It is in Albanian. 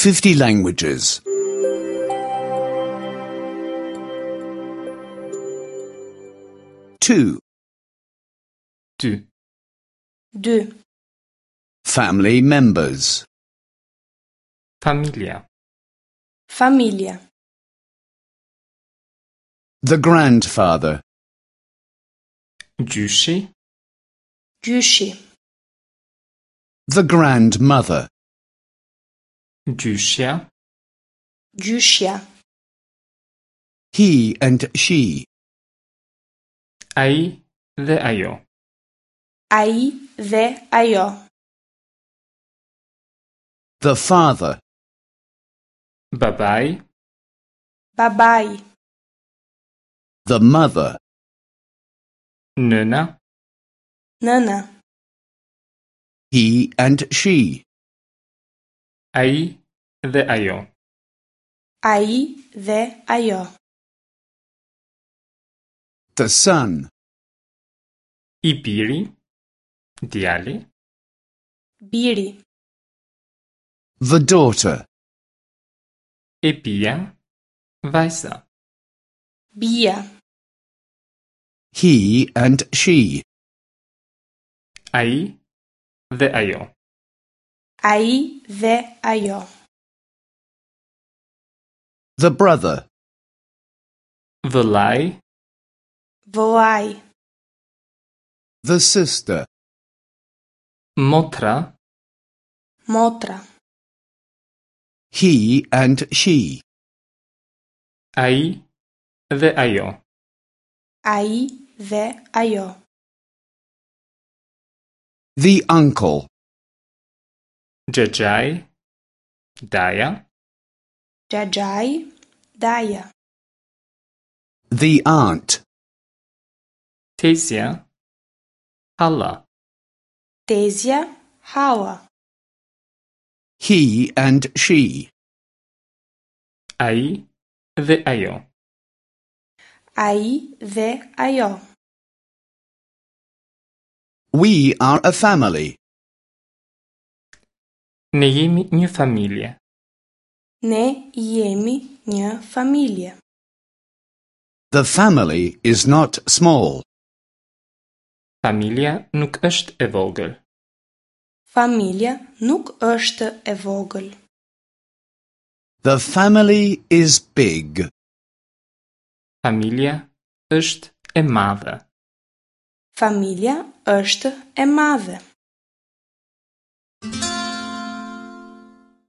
50 languages. 2. 2. 2. Family members. Familja. Familja. The grandfather. Gjyshi. Gjyshi. The grandmother. Gjyshja. Gjyshja. He and she. Ai dhe ajo. Ai dhe ajo. The father. Babai. Babai. The mother. Nëna. Nëna. He and she. Ai dhe ajo. Ai dhe ajo. The son. I biri. Djali. Biri. The daughter. E bija. Vajza. Bija. He and she. Ai dhe ajo. Ai dhe ajo. The brother. Vëllai. Vëllai. The sister. Motra. Motra. He and she. Ai dhe ajo. Ai dhe ajo. The uncle. Xhaxhai. Daja. Xhaxhai, daja. The aunt. Tezja. Halla. Tezja, halla. He and she. Ai dhe ajo. Ai dhe ajo. We are a family. Ne jemi një familje. Ne jemi një familje. The family is not small. Familja nuk është e vogël. Familja nuk është e vogël. The family is big. Familja është e madhe. Familja është e madhe.